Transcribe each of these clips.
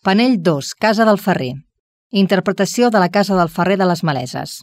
Panell 2, Casa del Ferrer. Interpretació de la Casa del Ferrer de les Maleses.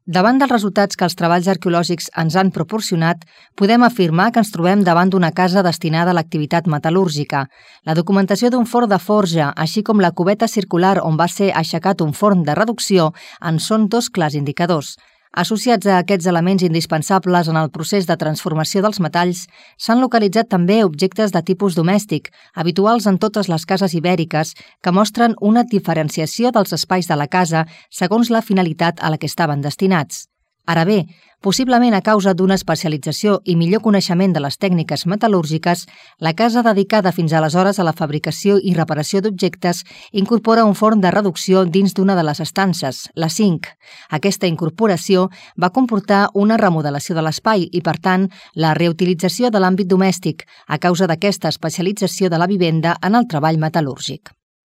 Davant dels resultats que els treballs arqueològics ens han proporcionat, podem afirmar que ens trobem davant d'una casa destinada a l'activitat metal·lúrgica. La documentació d'un forn de forja, així com la cubeta circular on va ser aixecat un forn de reducció, en són dos clars indicadors. Associats a aquests elements indispensables en el procés de transformació dels metalls, s'han localitzat també objectes de tipus domèstic, habituals en totes les cases ibèriques, que mostren una diferenciació dels espais de la casa segons la finalitat a la que estaven destinats. Ara bé, possiblement a causa d'una especialització i millor coneixement de les tècniques metal·lúrgiques, la casa dedicada fins aleshores a la fabricació i reparació d'objectes incorpora un forn de reducció dins d'una de les estances, la 5. Aquesta incorporació va comportar una remodelació de l'espai i, per tant, la reutilització de l'àmbit domèstic a causa d'aquesta especialització de la vivenda en el treball metal·lúrgic.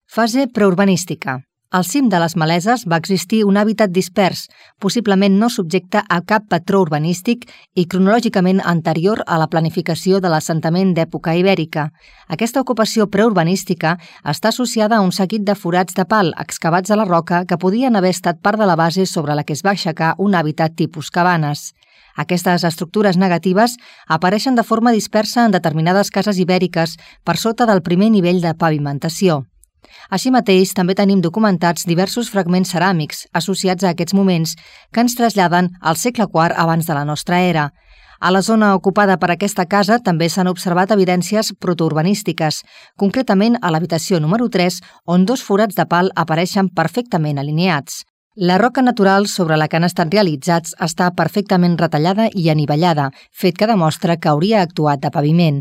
Fase preurbanística. Al cim de les Maleses va existir un hàbitat dispers, possiblement no subjecte a cap patró urbanístic i cronològicament anterior a la planificació de l'assentament d'època ibèrica. Aquesta ocupació preurbanística està associada a un seguit de forats de pal excavats a la roca que podien haver estat part de la base sobre la que es va aixecar un hàbitat tipus cabanes. Aquestes estructures negatives apareixen de forma dispersa en determinades cases ibèriques per sota del primer nivell de pavimentació. Així mateix, també tenim documentats diversos fragments ceràmics associats a aquests moments que ens traslladen al segle IV abans de la nostra era. A la zona ocupada per aquesta casa també s'han observat evidències protourbanístiques, concretament a l'habitació número 3, on dos forats de pal apareixen perfectament alineats. La roca natural sobre la que han estat realitzats està perfectament retallada i anivellada, fet que demostra que hauria actuat de paviment.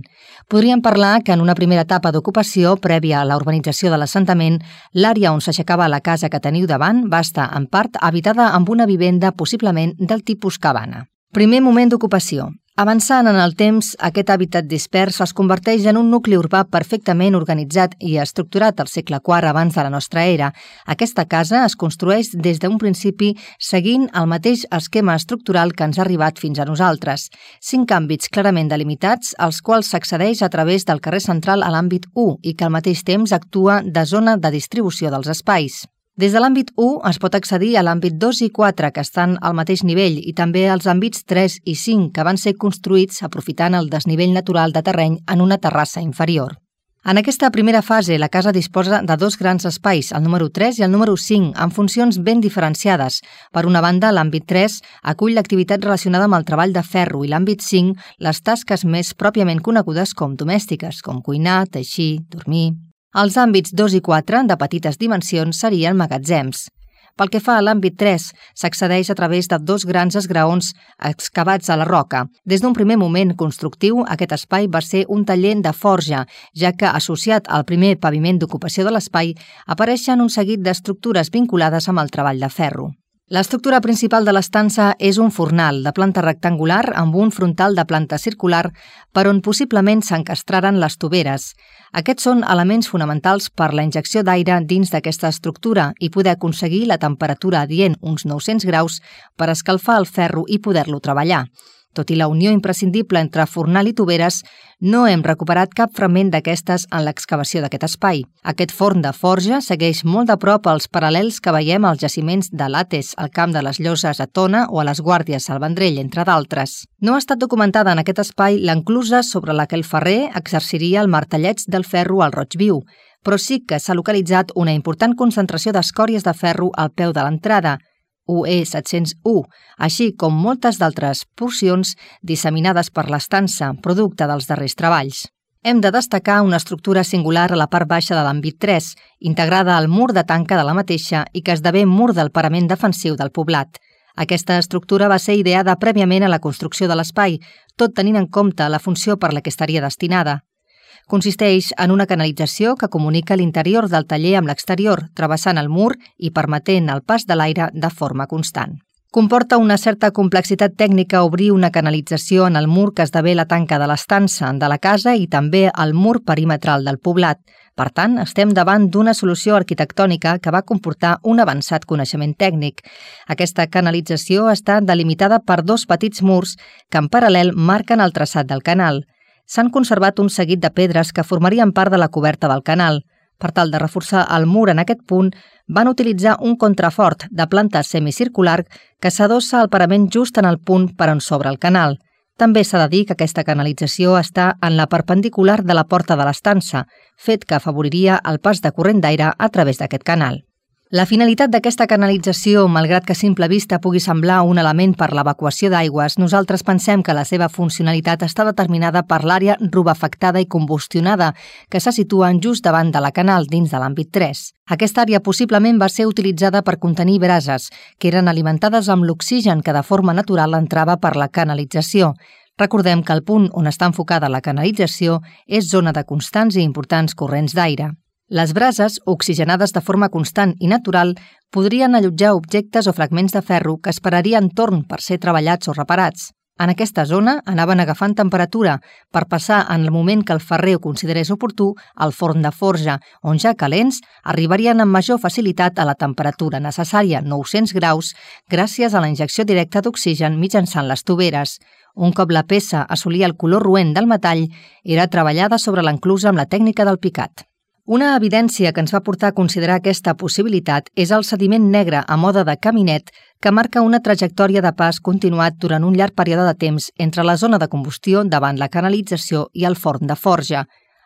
Podríem parlar que en una primera etapa d'ocupació, prèvia a la urbanització de l'assentament, l'àrea on s'aixecava la casa que teniu davant va estar, en part, habitada amb una vivenda possiblement del tipus cabana. Primer moment d'ocupació. Avançant en el temps, aquest hàbitat dispers es converteix en un nucli urbà perfectament organitzat i estructurat al segle IV abans de la nostra era. Aquesta casa es construeix des d'un principi seguint el mateix esquema estructural que ens ha arribat fins a nosaltres. 5 àmbits clarament delimitats, als quals s'accedeix a través del carrer central a l'àmbit 1 i que al mateix temps actua de zona de distribució dels espais. Des de l'àmbit 1 es pot accedir a l'àmbit 2 i 4, que estan al mateix nivell, i també als àmbits 3 i 5, que van ser construïts aprofitant el desnivell natural de terreny en una terrassa inferior. En aquesta primera fase, la casa disposa de dos grans espais, el número 3 i el número 5, amb funcions ben diferenciades. Per una banda, l'àmbit 3 acull l'activitat relacionada amb el treball de ferro i l'àmbit 5, les tasques més pròpiament conegudes com domèstiques, com cuinar, teixir, dormir. Els àmbits 2 i 4, de petites dimensions, serien magatzems. Pel que fa a l'àmbit 3, s'accedeix a través de dos grans esgraons excavats a la roca. Des d'un primer moment constructiu, aquest espai va ser un taller de forja, ja que, associat al primer paviment d'ocupació de l'espai, apareixen un seguit d'estructures vinculades amb el treball de ferro. L'estructura principal de l'estança és un fornal de planta rectangular amb un frontal de planta circular per on possiblement s'encastraren les toveres. Aquests són elements fonamentals per la injecció d'aire dins d'aquesta estructura i poder aconseguir la temperatura adient, uns 900 graus, per escalfar el ferro i poder-lo treballar. Tot i la unió imprescindible entre fornal i toveres, no hem recuperat cap fragment d'aquestes en l'excavació d'aquest espai. Aquest forn de forja segueix molt de prop els paral·lels que veiem als jaciments de Lates, al camp de les Lloses a Tona o a les Guàrdies al Vendrell, entre d'altres. No ha estat documentada en aquest espai l'enclusa sobre la que el ferrer exerciria el martelleig del ferro al roig viu, però sí que s'ha localitzat una important concentració d'escòries de ferro al peu de l'entrada, UE 701, així com moltes d'altres porcions disseminades per l'estança, producte dels darrers treballs. Hem de destacar una estructura singular a la part baixa de l'àmbit 3, integrada al mur de tanca de la mateixa i que esdevé mur del parament defensiu del poblat. Aquesta estructura va ser ideada prèviament a la construcció de l'espai, tot tenint en compte la funció per la que estaria destinada. Consisteix en una canalització que comunica l'interior del taller amb l'exterior, travessant el mur i permetent el pas de l'aire de forma constant. Comporta una certa complexitat tècnica obrir una canalització en el mur que esdevé la tanca de l'estança de la casa i també el mur perimetral del poblat. Per tant, estem davant d'una solució arquitectònica que va comportar un avançat coneixement tècnic. Aquesta canalització està delimitada per dos petits murs que en paral·lel marquen el traçat del canal. S'han conservat un seguit de pedres que formarien part de la coberta del canal. Per tal de reforçar el mur en aquest punt, van utilitzar un contrafort de planta semicircular que s'adossa al parament just en el punt per on s'obre el canal. També s'ha de dir que aquesta canalització està en la perpendicular de la porta de l'estança, fet que afavoriria el pas de corrent d'aire a través d'aquest canal. La finalitat d'aquesta canalització, malgrat que a simple vista pugui semblar un element per l'evacuació d'aigües, nosaltres pensem que la seva funcionalitat està determinada per l'àrea rubefactada i combustionada, que se situen just davant de la canal dins de l'àmbit 3. Aquesta àrea possiblement va ser utilitzada per contenir brases, que eren alimentades amb l'oxigen que de forma natural entrava per la canalització. Recordem que el punt on està enfocada la canalització és zona de constants i importants corrents d'aire. Les brases, oxigenades de forma constant i natural, podrien allotjar objectes o fragments de ferro que esperarien torn per ser treballats o reparats. En aquesta zona anaven agafant temperatura per passar en el moment que el ferrer ho considerés oportú al forn de forja, on ja calents arribarien amb major facilitat a la temperatura necessària, 900 graus, gràcies a la injecció directa d'oxigen mitjançant les toveres. Un cop la peça assolia el color roent del metall, era treballada sobre l'enclusa amb la tècnica del picat. Una evidència que ens va portar a considerar aquesta possibilitat és el sediment negre a mode de caminet que marca una trajectòria de pas continuat durant un llarg període de temps entre la zona de combustió davant la canalització i el forn de forja.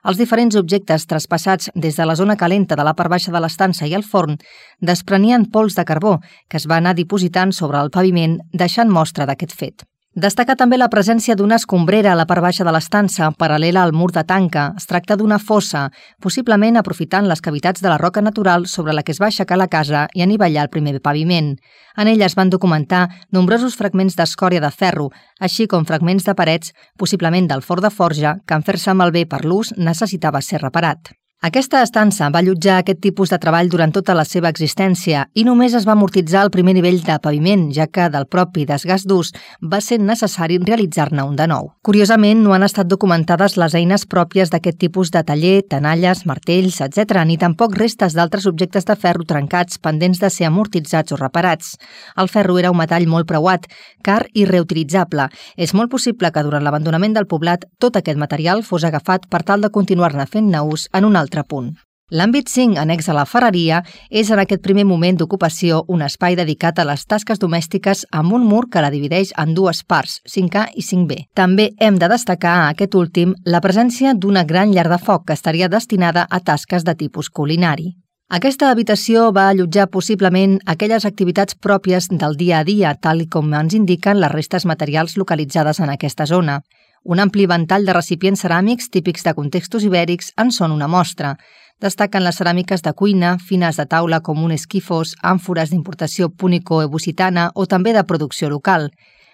Els diferents objectes traspassats des de la zona calenta de la part baixa de l'estança i el forn desprenien pols de carbó que es va anar dipositant sobre el paviment, deixant mostra d'aquest fet. Destaca també la presència d'una escombrera a la part baixa de l'estança, paral·lela al mur de tanca. Es tracta d'una fossa, possiblement aprofitant les cavitats de la roca natural sobre la que es va aixecar la casa i anivellar el primer paviment. En ella es van documentar nombrosos fragments d'escòria de ferro, així com fragments de parets, possiblement del forn de forja, que en fer-se malbé per l'ús necessitava ser reparat. Aquesta estança va allotjar aquest tipus de treball durant tota la seva existència i només es va amortitzar el primer nivell de paviment, ja que del propi desgast d'ús va ser necessari realitzar-ne un de nou. Curiosament, no han estat documentades les eines pròpies d'aquest tipus de taller, tenalles, martells, etc., ni tampoc restes d'altres objectes de ferro trencats pendents de ser amortitzats o reparats. El ferro era un metall molt preuat, car i reutilitzable. És molt possible que durant l'abandonament del poblat tot aquest material fos agafat per tal de continuar-ne fent-ne ús en un altre punt. L'àmbit 5, annex a la ferreria, és en aquest primer moment d'ocupació un espai dedicat a les tasques domèstiques amb un mur que la divideix en dues parts, 5A i 5B. També hem de destacar a aquest últim la presència d'una gran llar de foc que estaria destinada a tasques de tipus culinari. Aquesta habitació va allotjar possiblement aquelles activitats pròpies del dia a dia, tal com ens indiquen les restes materials localitzades en aquesta zona. Un ampli ventall de recipients ceràmics típics de contextos ibèrics en són una mostra. Destaquen les ceràmiques de cuina, fines de taula com un esquifos, àmfores d'importació púnico-ebusitana o també de producció local.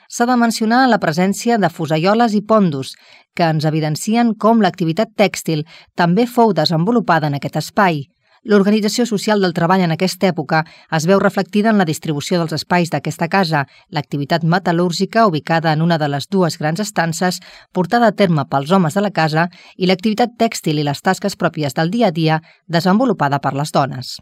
S'ha de mencionar la presència de fusaioles i pondos, que ens evidencien com l'activitat tèxtil també fou desenvolupada en aquest espai. L'organització social del treball en aquesta època es veu reflectida en la distribució dels espais d'aquesta casa, l'activitat metal·lúrgica ubicada en una de les dues grans estances portada a terme pels homes de la casa i l'activitat tèxtil i les tasques pròpies del dia a dia desenvolupada per les dones.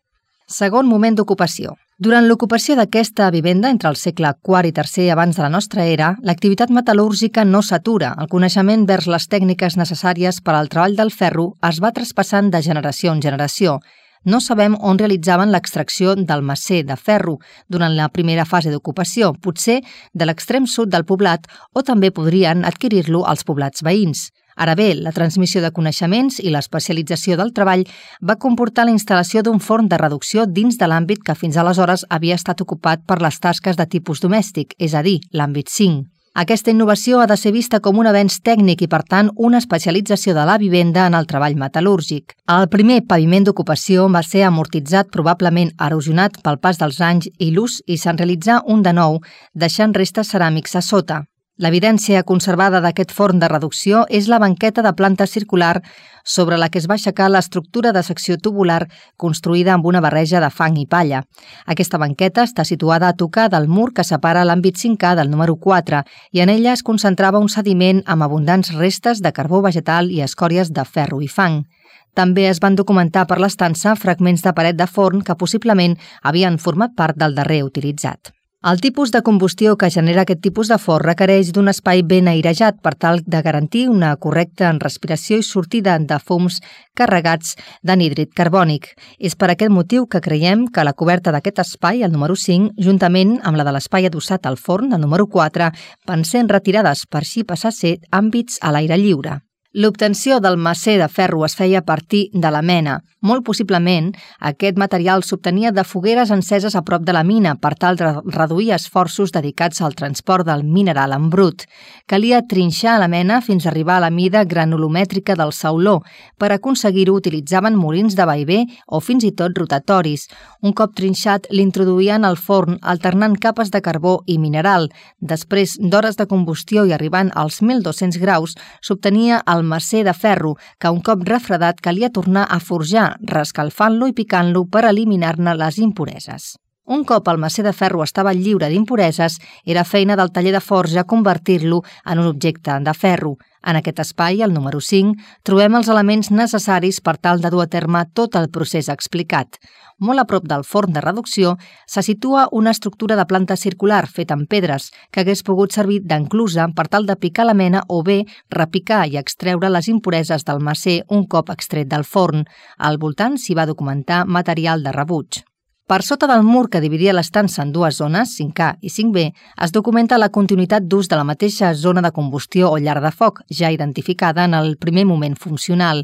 Segon moment d'ocupació. Durant l'ocupació d'aquesta vivenda entre el segle IV i III abans de la nostra era, l'activitat metal·lúrgica no s'atura. El coneixement vers les tècniques necessàries per al treball del ferro es va traspassant de generació en generació. No sabem on realitzaven l'extracció del macer de ferro durant la primera fase d'ocupació, potser de l'extrem sud del poblat o també podrien adquirir-lo als poblats veïns. Ara bé, la transmissió de coneixements i l'especialització del treball va comportar la instal·lació d'un forn de reducció dins de l'àmbit que fins aleshores havia estat ocupat per les tasques de tipus domèstic, és a dir, l'àmbit 5. Aquesta innovació ha de ser vista com un avenç tècnic i, per tant, una especialització de la vivenda en el treball metal·lúrgic. El primer paviment d'ocupació va ser amortitzat, probablement erosionat pel pas dels anys i l'ús, i se'n realitzà un de nou, deixant restes ceràmics a sota. L'evidència conservada d'aquest forn de reducció és la banqueta de planta circular sobre la que es va aixecar l'estructura de secció tubular construïda amb una barreja de fang i palla. Aquesta banqueta està situada a tocar del mur que separa l'àmbit 5A del número 4 i en ella es concentrava un sediment amb abundants restes de carbó vegetal i escòries de ferro i fang. També es van documentar per l'estança fragments de paret de forn que possiblement havien format part del darrer utilitzat. El tipus de combustió que genera aquest tipus de forn requereix d'un espai ben airejat per tal de garantir una correcta respiració i sortida de fums carregats d'anhídrid carbònic. És per aquest motiu que creiem que la coberta d'aquest espai, el número 5, juntament amb la de l'espai adossat al forn, el número 4, van ser retirades per així passar a ser àmbits a l'aire lliure. L'obtenció del macer de ferro es feia a partir de la mena. Molt possiblement, aquest material s'obtenia de fogueres enceses a prop de la mina per tal de reduir esforços dedicats al transport del mineral en brut. Calia trinxar la mena fins a arribar a la mida granulomètrica del sauló. Per aconseguir-ho utilitzaven molins de vaivé o fins i tot rotatoris. Un cop trinxat, l'introduïen al forn alternant capes de carbó i mineral. Després d'hores de combustió i arribant als 1.200 graus, s'obtenia el macer de ferro, que un cop refredat calia tornar a forjar, reescalfant-lo i picant-lo per eliminar-ne les impureses. Un cop el macer de ferro estava lliure d'impureses, era feina del taller de forja convertir-lo en un objecte de ferro. En aquest espai, el número 5, trobem els elements necessaris per tal de dur a terme tot el procés explicat. Molt a prop del forn de reducció se situa una estructura de planta circular feta amb pedres que hagués pogut servir d'enclusa per tal de picar la mena o bé repicar i extreure les impureses del macer un cop extret del forn. Al voltant s'hi va documentar material de rebuig. Per sota del mur que dividia l'estança en dues zones, 5A i 5B, es documenta la continuïtat d'ús de la mateixa zona de combustió o llar de foc, ja identificada en el primer moment funcional.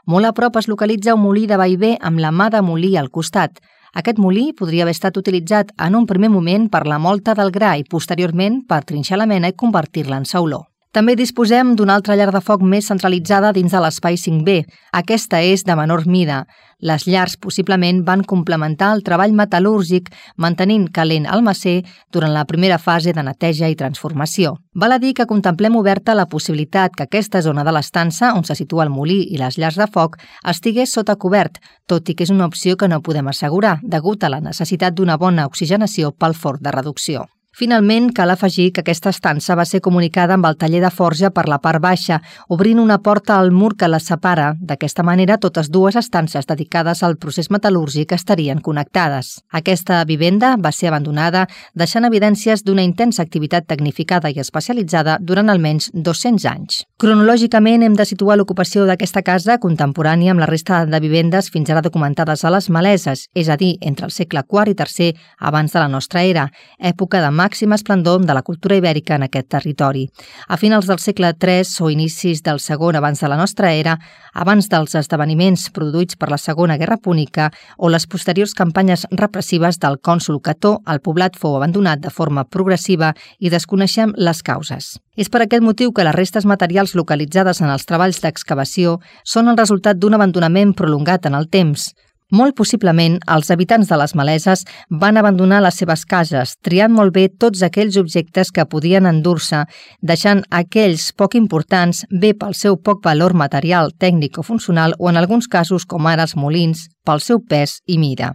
Molt a prop es localitza un molí de vaivé amb la mà de molí al costat. Aquest molí podria haver estat utilitzat en un primer moment per la molta del gra i posteriorment per trinxar la mena i convertir-la en sauló. També disposem d'una altra llar de foc més centralitzada dins de l'espai 5B. Aquesta és de menor mida. Les llars possiblement van complementar el treball metal·lúrgic mantenint calent el macer durant la primera fase de neteja i transformació. Val a dir que contemplem oberta la possibilitat que aquesta zona de l'estança, on se situa el molí i les llars de foc, estigués sota cobert, tot i que és una opció que no podem assegurar, degut a la necessitat d'una bona oxigenació pel forn de reducció. Finalment, cal afegir que aquesta estança va ser comunicada amb el taller de forja per la part baixa, obrint una porta al mur que la separa. D'aquesta manera, totes dues estances dedicades al procés metal·lúrgic estarien connectades. Aquesta vivenda va ser abandonada, deixant evidències d'una intensa activitat tecnificada i especialitzada durant almenys 200 anys. Cronològicament, hem de situar l'ocupació d'aquesta casa contemporània amb la resta de vivendes fins ara documentades a les Maleses, és a dir, entre el segle IV i III abans de la nostra era, època de màxim esplendor de la cultura ibèrica en aquest territori. A finals del segle III o inicis del segon abans de la nostra era, abans dels esdeveniments produïts per la Segona Guerra Púnica o les posteriors campanyes repressives del cònsol Cató, el poblat fou abandonat de forma progressiva i desconeixem les causes. És per aquest motiu que les restes materials localitzades en els treballs d'excavació són el resultat d'un abandonament prolongat en el temps. Molt possiblement, els habitants de les Maleses van abandonar les seves cases, triant molt bé tots aquells objectes que podien endur-se, deixant aquells poc importants bé pel seu poc valor material, tècnic o funcional o en alguns casos, com ara els molins, pel seu pes i mida.